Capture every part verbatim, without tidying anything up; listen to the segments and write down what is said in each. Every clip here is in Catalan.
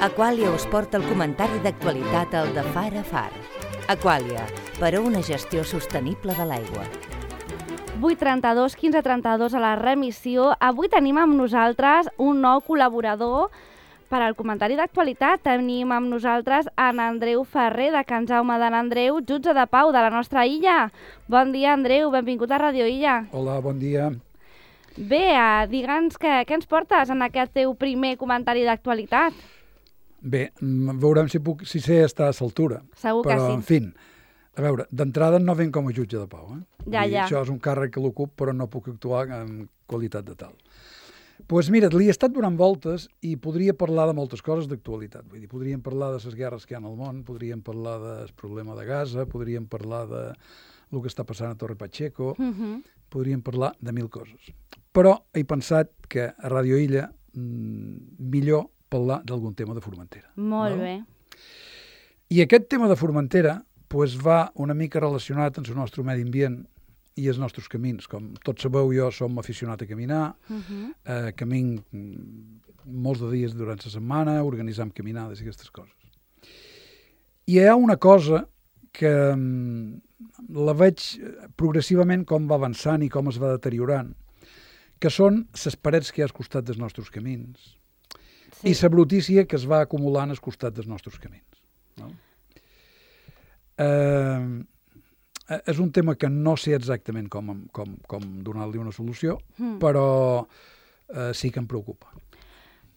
Aquàlia us porta el comentari d'actualitat al de Far a Far. Aquàlia, per a una gestió sostenible de l'aigua. vuit trenta-dos, quinze trenta-dos a la remissió. Avui tenim amb nosaltres un nou col·laborador per al comentari d'actualitat. Tenim amb nosaltres en Andreu Ferrer, de Can Jaume d'en Andreu, jutge de pau de la nostra illa. Bon dia, Andreu, benvingut a Radio Illa. Hola, bon dia. Bé, uh, digue'ns què, què ens portes en aquest teu primer comentari d'actualitat. Bé, veurem si, puc, si sé estar a l'altura. Segur que però, sí. en fi, a veure, d'entrada no venc com a jutge de pau. Eh? Ja, ja. Això és un càrrec que l'ocup, però no puc actuar en qualitat de tal. Doncs pues mira, li he estat donant voltes i podria parlar de moltes coses d'actualitat. Vull dir, podríem parlar de les guerres que hi ha al món, podríem parlar del problema de Gaza, podríem parlar de el que està passant a Torre Pacheco, Uh-huh. podríem parlar de mil coses. Però he pensat que a Radio Illa mmm, millor parlar d'algun tema de Formentera. Molt no? bé. I aquest tema de Formentera pues, va una mica relacionat amb el nostre medi ambient i els nostres camins. Com tots sabeu, jo som aficionat a caminar, Uh-huh. eh, camin mm, molts de dies durant la setmana, organitzam caminades i aquestes coses. I hi ha una cosa que mm, la veig progressivament com va avançant i com es va deteriorant, que són les parets que hi ha al costat dels nostres camins. Sí. I la brutícia que es va acumulant al costat dels nostres camins. No? Eh, és un tema que no sé exactament com, com, com donar-li una solució, Mm. però eh, sí que em preocupa.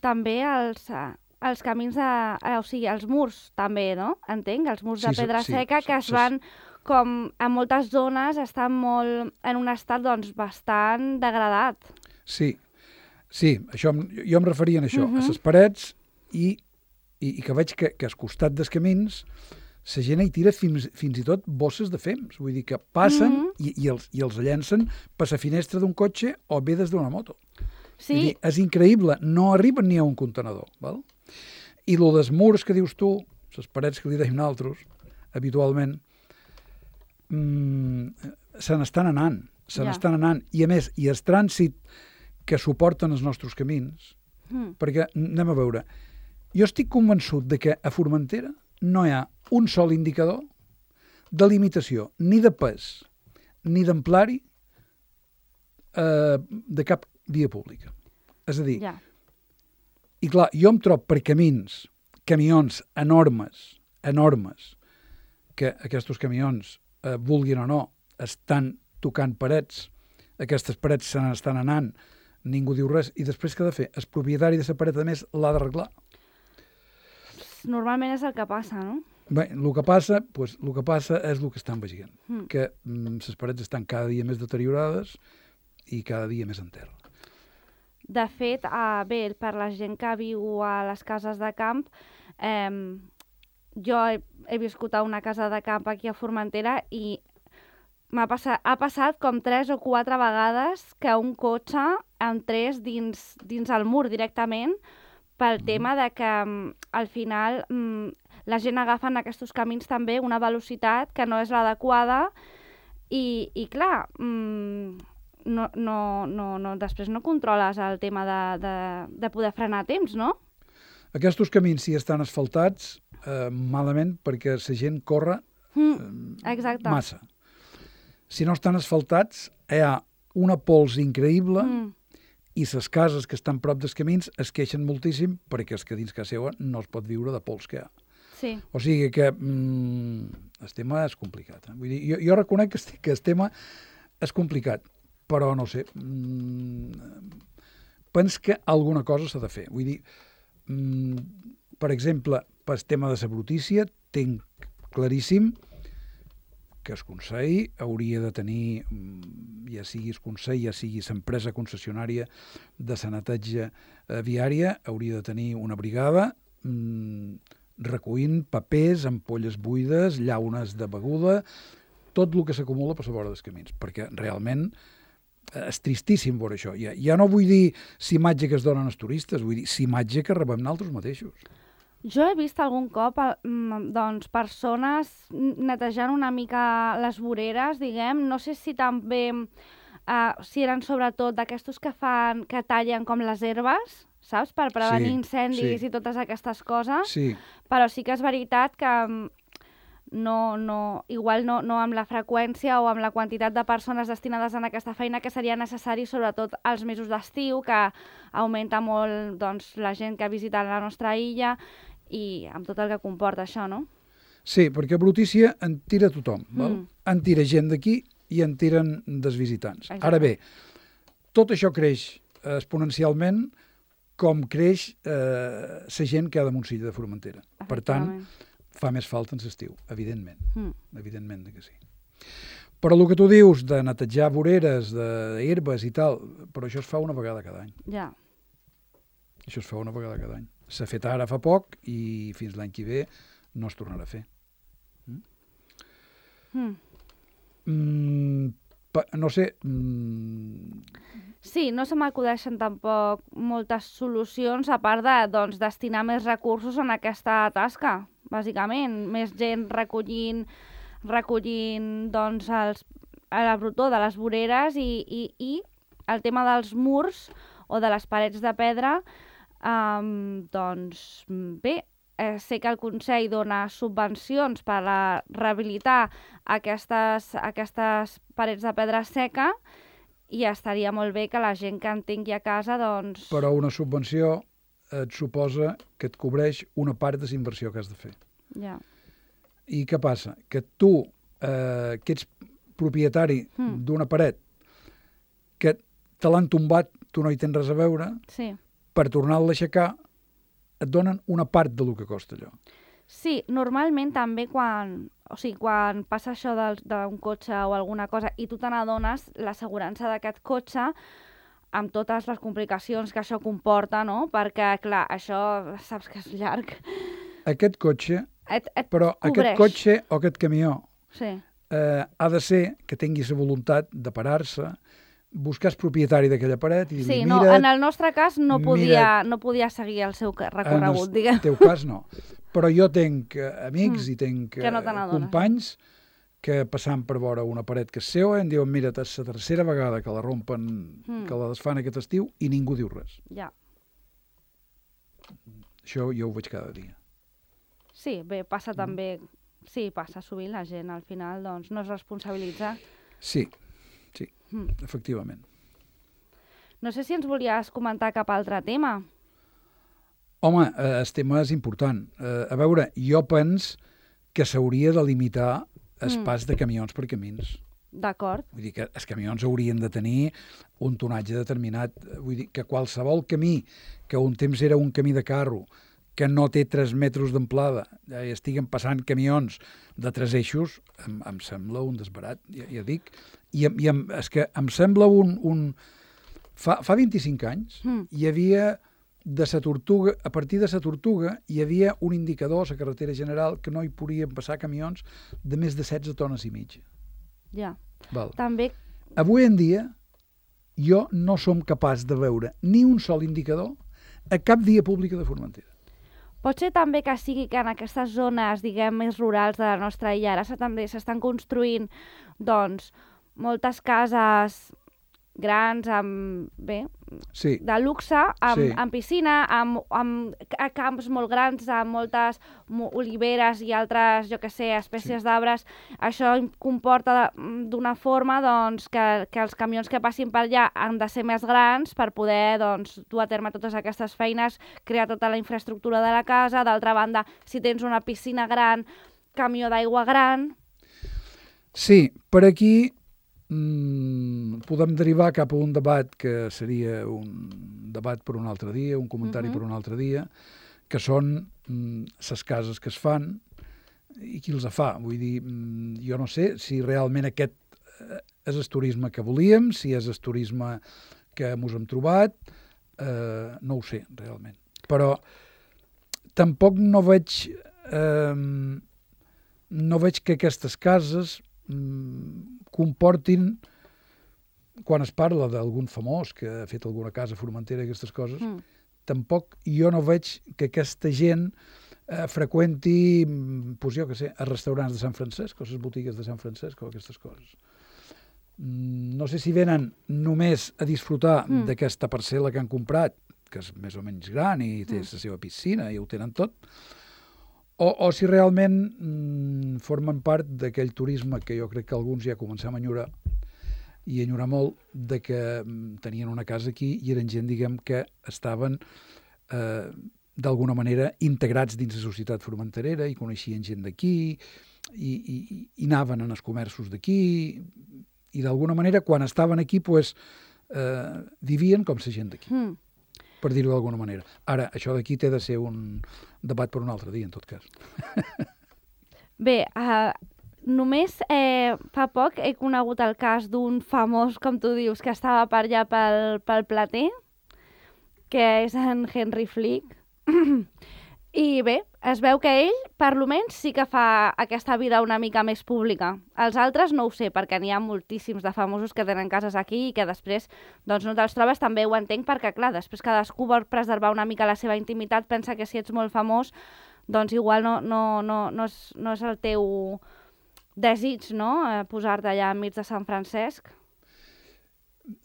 També els, eh, els camins de... Eh, o sigui, els murs també, no? Entenc, els murs de Sí, pedra sí, seca sí, que es sí. van, com en moltes zones, estan molt en un estat doncs, bastant degradat. Sí, sí, això, em- jo em referia a això, Mhm. a les parets i, i, i que veig que, que al costat dels camins la gent hi tira fins, fins i tot bosses de fems, vull dir que passen Mhm. i, i, els, i els llencen per la finestra d'un cotxe o bé des d'una moto. Sí, Vull dir, és increïble, no arriben ni a un contenedor. Val? I lo dels murs que dius tu, les parets que li deim nosaltres, habitualment, mmm, se n'estan anant, se Ja. n'estan anant. I a més, i el trànsit que suporten els nostres camins, Mm. perquè anem a veure, jo estic convençut de que a Formentera no hi ha un sol indicador de limitació, ni de pes, ni d'amplari eh, de cap via pública. És a dir, ja. i clar, jo em trobo per camins, camions enormes, enormes, que aquests camions, eh, vulguin o no, estan tocant parets, aquestes parets se n'estan anant, ningú diu res, i després què ha de fer? El propietari de la paret, a més, l'ha d'arreglar. Normalment és el que passa, no? Bé, el que passa, pues, el que passa és el que estan veient, Mm. que mm, les parets estan cada dia més deteriorades i cada dia més en terra. De fet, eh, bé, per la gent que viu a les cases de camp, eh, jo he, he viscut a una casa de camp aquí a Formentera i m'ha passat, ha passat com tres o quatre vegades que un cotxe entrés dins, dins el mur directament pel Mhm. tema de que mm, al final mm, la gent agafa en aquests camins també una velocitat que no és l'adequada i, i clar, mm, no, no, no, no, després no controles el tema de, de, de poder frenar a temps, no? Aquests camins, si estan asfaltats, eh, malament, perquè la gent corre Mm, exacte. massa. Si no estan asfaltats, hi ha una pols increïble Mm, i les cases que estan prop dels camins es queixen moltíssim perquè és que dins casa seva no es pot viure de pols que hi ha. sí, O sigui que mm, el tema és complicat. Eh? Vull dir, jo, jo reconec que, est- que el tema és complicat, però no sé, mm, penso que alguna cosa s'ha de fer. Vull dir, mm, per exemple, pel tema de la brutícia, tinc claríssim que el Consell hauria de tenir, mm, ja sigui el Consell, ja sigui l'empresa concessionària de la neteja eh, viària, hauria de tenir una brigada mm, recollint papers, ampolles buides, llaunes de beguda, tot el que s'acumula per la vora dels camins, perquè realment eh, és tristíssim veure això. Ja, ja no vull dir si imatge que es donen als turistes, vull dir si imatge que rebem nosaltres mateixos. jo he vist algun cop eh, mm, doncs, persones netejant una mica les voreres, diguem, no sé si també, eh, si eren sobretot d'aquestos que fan, que tallen com les herbes, saps? Per prevenir Sí, incendis sí. i totes aquestes coses. Sí, Però sí que és veritat que no, no, igual no, no amb la freqüència o amb la quantitat de persones destinades en aquesta feina que seria necessari, sobretot als mesos d'estiu, que augmenta molt doncs, la gent que visita la nostra illa i amb tot el que comporta això, no? sí, perquè brutícia en tira tothom, val? Mm. En tira gent d'aquí i en tiren dels visitants. Exacte. Ara bé, tot això creix eh, exponencialment com creix eh, la gent que ha de Montsilla de Formentera. Per tant, fa més falta en l'estiu, evidentment. Mm. Evidentment que sí. Però el que tu dius de netejar voreres, d'herbes i tal, però això es fa una vegada cada any. Ja. Això es fa una vegada cada any. S'ha fet ara fa poc i fins l'any que ve no es tornarà a fer. Mm? Mm. Mm, pa, no sé... Mm, Sí, no se m'acudeixen tampoc moltes solucions a part de doncs, destinar més recursos en aquesta tasca, bàsicament. Més gent recollint, recollint doncs, els, a la brutó de les voreres i, i, i el tema dels murs o de les parets de pedra, um, doncs bé, eh, sé que el Consell dona subvencions per a rehabilitar aquestes, aquestes parets de pedra seca i estaria molt bé que la gent que en tingui a casa, doncs... però una subvenció et suposa que et cobreix una part de la inversió que has de fer. Ja. I què passa? Que tu, eh, que ets propietari Mm. d'una paret, que te l'han tombat, tu no hi tens res a veure, Sí. per tornar-la a aixecar, et donen una part del que costa allò. Sí, normalment també quan, o sigui, quan passa això del- d'un cotxe o alguna cosa i tu te n'adones, l'assegurança d'aquest cotxe, amb totes les complicacions que això comporta, no? Perquè, clar, això saps que és llarg. Aquest cotxe, Et, et però cobreix. aquest cotxe o aquest camió Sí, eh, ha de ser que tingui la voluntat de parar-se, buscar el propietari d'aquella paret i dir-li, sí no, mira, en el nostre cas no podia, no podia seguir el seu ca- recorregut, en diguem. el teu cas no. Però jo tenc eh, amics Mm, i tenc que no eh, te n'adones. companys que passant per vora una paret que és seva em diuen, mira, és la tercera vegada que la rompen, Mm. que la desfan aquest estiu i ningú diu res. Ja. Això jo ho veig cada dia. Sí, bé, passa també... Sí, passa sovint, la gent al final doncs, no es responsabilitza. Sí, sí, Mm. efectivament. No sé si ens volies comentar cap altre tema. Home, eh, el tema és important. Eh, a veure, jo pens que s'hauria de limitar el Mm. pas de camions per camins. D'acord. Vull dir que els camions haurien de tenir un tonatge determinat. Vull dir que qualsevol camí, que un temps era un camí de carro, que no té tres metres d'amplada, ja hi estiguen passant camions de tres eixos, em, em sembla un desbarat, ja, ja dic. I, em- i em, és que em sembla un... un... Fa, fa vint-i-cinc anys Mm. hi havia de sa Tortuga, a partir de sa Tortuga hi havia un indicador a la carretera general que no hi podien passar camions de més de setze tones i mitja. Ja. Val. També, Avui en dia jo no som capaç de veure ni un sol indicador a cap via pública de Formentera. pot ser també que sigui que en aquestes zones, diguem, més rurals de la nostra illa, ara se- també s'estan construint, doncs, moltes cases grans, amb, bé, Sí, de luxe, amb, Sí. amb piscina, amb, amb ca- camps molt grans, amb moltes mo- oliveres i altres, jo que sé, espècies Sí. d'arbres. Això im- comporta de- d'una forma doncs, que, que els camions que passin per allà han de ser més grans per poder doncs, dur a terme totes aquestes feines, crear tota la infraestructura de la casa. D'altra banda, si tens una piscina gran, camió d'aigua gran... sí, per aquí mm, podem derivar cap a un debat que seria un debat per un altre dia, un comentari Mhm. per un altre dia, que són les cases que es fan i qui els fa. Vull dir, mm, jo no sé si realment aquest eh, és el turisme que volíem, si és el turisme que ens hem trobat, eh, no ho sé, realment. Però tampoc no veig, eh, no veig que aquestes cases mm, comportin, quan es parla d'algun famós que ha fet alguna casa formentera i aquestes coses, Mm. tampoc jo no veig que aquesta gent eh, freqüenti, mm, pues jo que sé, els restaurants de Sant Francesc o les botigues de Sant Francesc o aquestes coses. Mm, no sé si venen només a disfrutar Mm. d'aquesta parcel·la que han comprat que és més o menys gran i té mm. la seva piscina i ho tenen tot, o, o si realment mm, formen part d'aquell turisme que jo crec que alguns ja comencem a enyorar, i enyorar molt, de que mm, tenien una casa aquí i eren gent, diguem, que estaven eh, d'alguna manera integrats dins la societat formenterera i coneixien gent d'aquí i, i, i anaven en els comerços d'aquí i d'alguna manera quan estaven aquí pues, eh, vivien com la gent d'aquí. Mm. Per dir-ho d'alguna manera. Ara, això d'aquí té de ser un debat per un altre dia, en tot cas. Bé, uh, només eh, fa poc he conegut el cas d'un famós, com tu dius, que estava per allà pel, pel Plater, que és en Henry Flick. I bé, es veu que ell, per lo menys, sí que fa aquesta vida una mica més pública. Els altres no ho sé, perquè n'hi ha moltíssims de famosos que tenen cases aquí i que després doncs, no te'ls trobes. També ho entenc perquè, clar, després cadascú vol preservar una mica la seva intimitat, pensa que si ets molt famós, doncs igual no, no, no, no, és, no és el teu desig, no?, eh, posar-te allà enmig de Sant Francesc.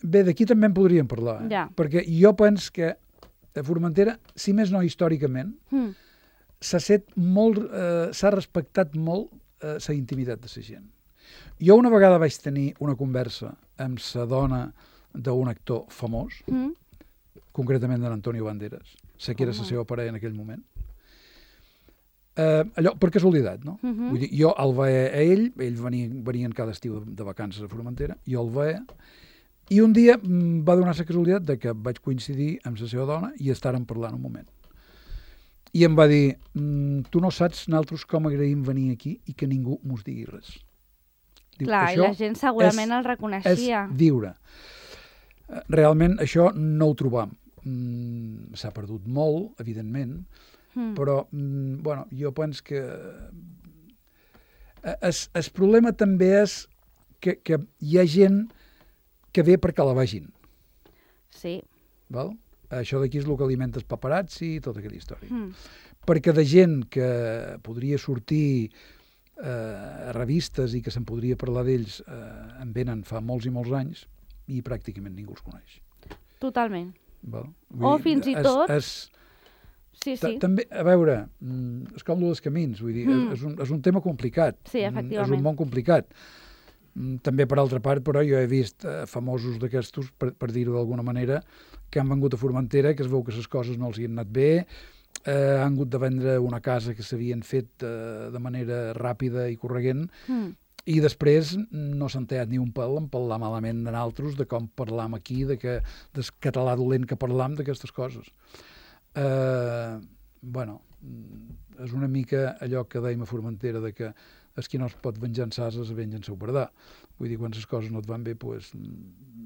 Bé, d'aquí també en podríem parlar, eh? Ja. Perquè jo penso que a Formentera, si més no històricament, mm. s'ha set molt, eh, s'ha respectat molt eh, la intimitat de la gent. Jo una vegada vaig tenir una conversa amb la dona d'un actor famós, mm. concretament de l'Antonio Banderas, sé que era la oh. seva parella en aquell moment. Eh, allò, per casualitat, no? Uh -huh. Vull dir, jo el veia a ell, ell venia, venien cada estiu de, de vacances a Formentera, jo el veia, i un dia va donar la casualitat de que vaig coincidir amb la seva dona i estàrem parlant un moment. I em va dir, tu no saps nosaltres com agraïm venir aquí i que ningú mos digui res. Diu, clar, i la gent segurament és, el reconeixia. És viure. Realment això no ho trobam. Mm, s'ha perdut molt, evidentment, mm. però mm, bueno, jo penso que es, el problema també és que, que hi ha gent que ve perquè la vegin. Sí. Val? Això d'aquí és el que alimenta els paparazzi i tota aquella història. Mm. Perquè de gent que podria sortir eh, a revistes i que se'n podria parlar d'ells eh, en venen fa molts i molts anys i pràcticament ningú els coneix. Totalment. Val? O dir, fins i és, tot... És, sí, sí. També, a veure, és com el dels camins, vull dir, mm. és, un, és un tema complicat. Sí, efectivament. És un món complicat. També, per altra part, però, jo he vist eh, famosos d'aquestos, per, per dir-ho d'alguna manera, que han vengut a Formentera, que es veu que les coses no els hi han anat bé, eh, han hagut de vendre una casa que s'havien fet eh, de manera ràpida i corregent, mm. i després no s'han tallat ni un pèl en parlar malament de nosaltres, de com parlam aquí, de que, del català dolent que parlam, d'aquestes coses. Eh, bueno, és una mica allò que dèiem a Formentera, de que és qui no es pot venjar en sases, venja en seu pardà. Vull dir, quan les coses no et van bé, pues,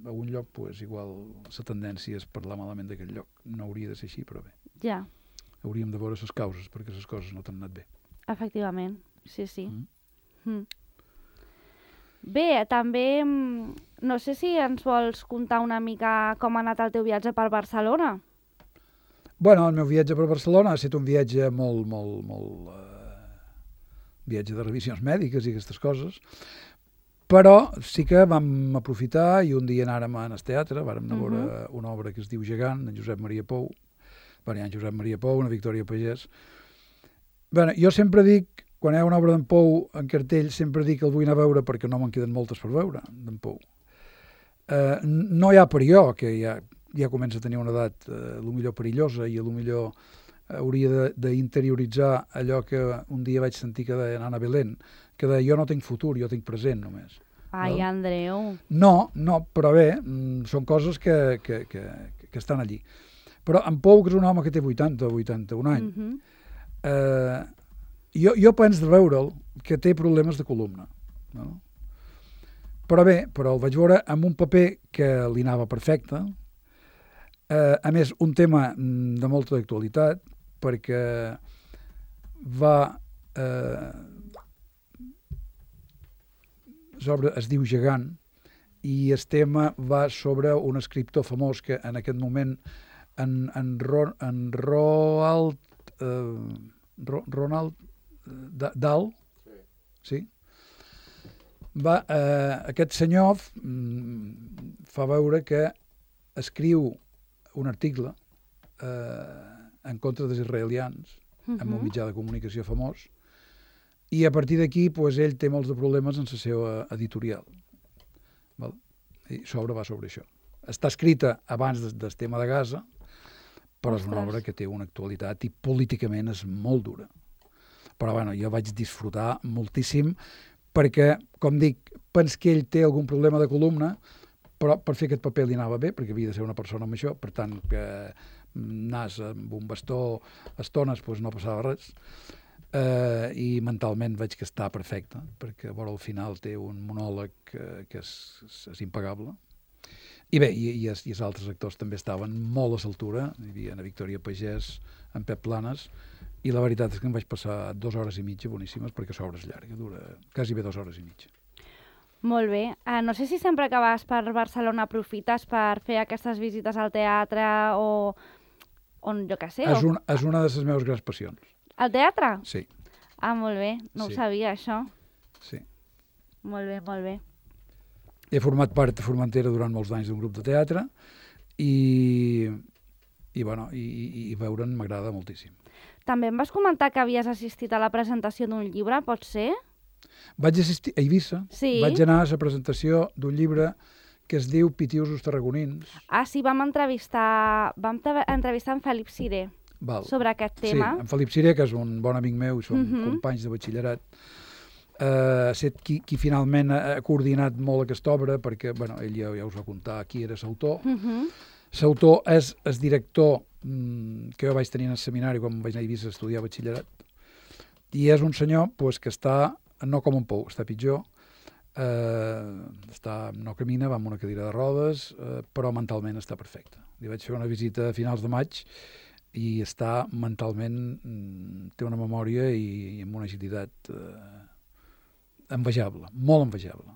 a un lloc, pues, igual la tendència és parlar malament d'aquest lloc. No hauria de ser així, però bé. Ja. Hauríem de veure les causes, perquè les coses no t'han anat bé. Efectivament, sí, sí. Mm. Mm. Bé, també, no sé si ens vols contar una mica com ha anat el teu viatge per Barcelona. Bueno, el meu viatge per Barcelona ha estat un viatge molt, molt, molt... Eh, viatge de revisions mèdiques i aquestes coses, però sí que vam aprofitar i un dia anàrem al teatre, vàrem anar a veure uh-huh. una obra que es diu Gegant, en Josep Maria Pou, bueno, hi ha en Josep Maria Pou, una Victòria Pagès. Bueno, jo sempre dic, quan hi ha una obra d'en Pou en cartell, sempre dic que el vull anar a veure perquè no me'n queden moltes per veure, d'en Pou. Eh, no hi ha per jo, que ja, ja comença a tenir una edat eh, a lo millor perillosa i a lo millor hauria d'interioritzar allò que un dia vaig sentir que deia Anna Belén, que deia jo no tinc futur, jo tinc present només. Ai, no? Andreu. No, no, però bé, són coses que, que, que, que estan allí. Però en Pou, que és un home que té vuitanta o vuitanta-un anys, uh-huh. eh, jo, jo penso de veure'l que té problemes de columna. No? Però bé, però el vaig veure amb un paper que li anava perfecte, eh, a més, un tema de molta actualitat, perquè va... Eh, sobre, es diu Gegant, i el tema va sobre un escriptor famós que en aquest moment en, en, Ro, en Roald eh, Ro, Ronald Dahl, sí? Va, eh, aquest senyor mm, fa veure que escriu un article eh, en contra dels israelians, uh -huh. en un Mhm. mitjà de comunicació famós, i a partir d'aquí pues, ell té molts de problemes en la seva editorial. Val? I sobre va sobre això. Està escrita abans del, del tema de Gaza, però és una Ostres. obra que té una actualitat i políticament és molt dura. Però bueno, jo vaig disfrutar moltíssim perquè, com dic, pens que ell té algun problema de columna, però per fer aquest paper li anava bé, perquè havia de ser una persona amb això, per tant, que nas amb un bastó estones doncs no passava res. Uh, I mentalment veig que està perfecte, perquè vora al final té un monòleg que, que és, és, és impagable. I bé, i, i, els, i els altres actors també estaven molt a l'altura. Hi havia Ana Victòria Pagès, en Pep Planes, i la veritat és que em vaig passar dues hores i mitja boníssimes, perquè l'obra és llarga, dura quasi bé dues hores i mitja. Molt bé. Uh, no sé si sempre que vas per Barcelona aprofites per fer aquestes visites al teatre o on, jo què sé. És, O... un, és una de les meves grans passions. Al teatre? Sí, Ah, molt bé. No Sí. ho sabia, això. sí. Molt bé, molt bé. He format part de Formentera durant molts anys d'un grup de teatre i, i, bueno, i, i, i veure'n m'agrada moltíssim. També em vas comentar que havies assistit a la presentació d'un llibre, pot ser? Vaig assistir a Eivissa, Sí. vaig anar a la presentació d'un llibre que es diu Pitiusos tarragonins. Ah, sí, vam entrevistar, vam tra- entrevistar en Felip Ciré Val. sobre aquest tema. Sí, en Felip Ciré, que és un bon amic meu i som Mhm. companys de batxillerat, eh, ha set qui, qui finalment ha, ha coordinat molt aquesta obra, perquè bueno, ell ja, ja us va contar qui era l'autor. Mhm. L'autor és el director mm, que jo vaig tenir en el seminari quan vaig anar a Eivissa a estudiar batxillerat, i és un senyor pues, que està, no com un pou, està pitjor, eh, està, no camina, va amb una cadira de rodes, eh, però mentalment està perfecte. Li vaig fer una visita a finals de maig i està mentalment, mm, té una memòria i, i amb una agilitat eh, envejable, molt envejable.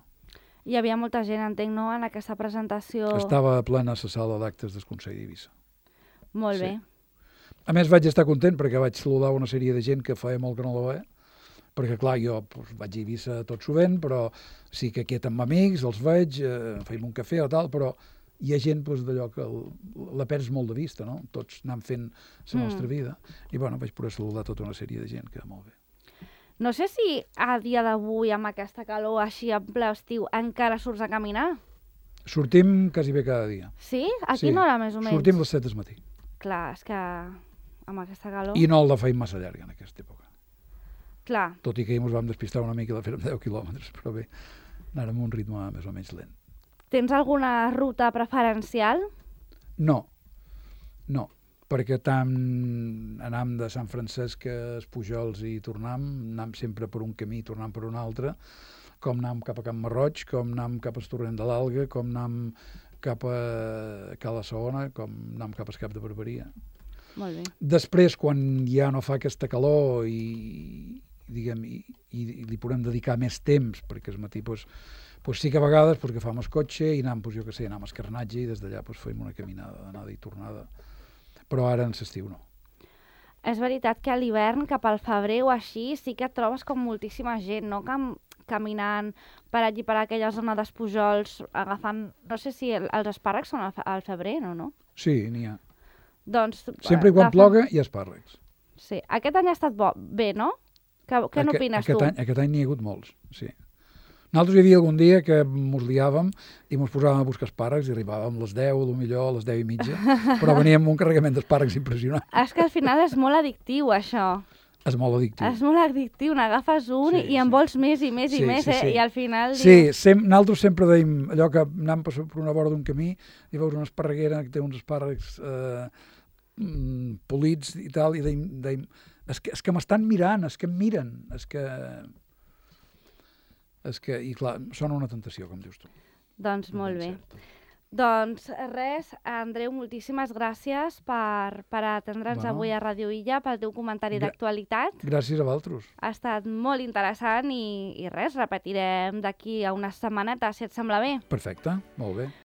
Hi havia molta gent, entenc, no?, en aquesta presentació. Estava plena a la sala d'actes del Consell d'Eivissa. Molt sí. bé. A més, vaig estar content perquè vaig saludar una sèrie de gent que feia molt que no la veia, perquè, clar, jo doncs, vaig a Eivissa tot sovint, però sí que aquí amb amics, els veig, eh, feim un cafè o tal, però hi ha gent doncs, d'allò que el, la perds molt de vista, no? Tots anem fent la Mm. nostra vida. I, bueno, vaig poder saludar tota una sèrie de gent que molt bé. No sé si a dia d'avui, amb aquesta calor així en ple estiu, encara surts a caminar. Sortim quasi bé cada dia. Sí? A Sí. quina hora, més o menys? Sortim a les set del matí. Clar, és que amb aquesta calor... I no la feim massa llarga en aquesta època. Clar, Tot i que ens vam despistar una mica i la fèrem deu quilòmetres, però bé, anàrem a un ritme més o menys lent. tens alguna ruta preferencial? No, no, perquè tant anam de Sant Francesc a els Pujols i tornam, anam sempre per un camí i tornam per un altre, com anam cap a Can Marroig, com anam cap al Torrent de l'Alga, com anam cap a Cala Saona, com anam cap al Cap de Barberia. Molt bé. Després, quan ja no fa aquesta calor i, diguem, i, i li podem dedicar més temps, perquè al matí doncs, doncs sí que a vegades doncs, agafam el cotxe i anam, doncs, jo què sé, anam a Escarnatge i des d'allà doncs, fem una caminada d'anada i tornada. Però ara en l'estiu no. És veritat que a l'hivern, cap al febrer o així, sí que et trobes com moltíssima gent, no? Cam caminant per allí, per aquella zona dels Pujols, agafant... No sé si el, els espàrrecs són al, fe- al febrer, no, no? Sí, n'hi ha. Doncs... Sempre i quan agafen- ploga hi ha espàrrecs. Sí. Aquest any ha estat bo, bé, no? Que, què Aqu- n'opines aquest tu? Any, aquest any n'hi ha hagut molts, sí. Nosaltres hi havia algun dia que mos liàvem i mos posàvem a buscar espàrrecs i arribàvem a les deu, potser a les deu i mitja, però veníem amb un carregament d'espàrrecs impressionant. És que al final és molt addictiu, això. És molt addictiu. És molt addictiu, n'agafes un Sí, i en sí. vols més i més Sí, i més, sí, eh? sí. I al final Sí, dius... sem nosaltres sempre deim allò que anem per per una vora d'un camí i veus una esparreguera que té uns espàrrecs eh, mm, polits i tal, i deim, deim és que, és que m'estan mirant, és que em miren, és que... És que, i clar, sona una tentació, com dius tu. Doncs molt bé. Ben cert. Doncs res, Andreu, moltíssimes gràcies per, per atendre'ns Bueno. avui a Radio Illa, pel teu comentari Gra- d'actualitat. Gràcies a vosaltres. Ha estat molt interessant i, i res, repetirem d'aquí a unes setmanetes, si et sembla bé. Perfecte, molt bé.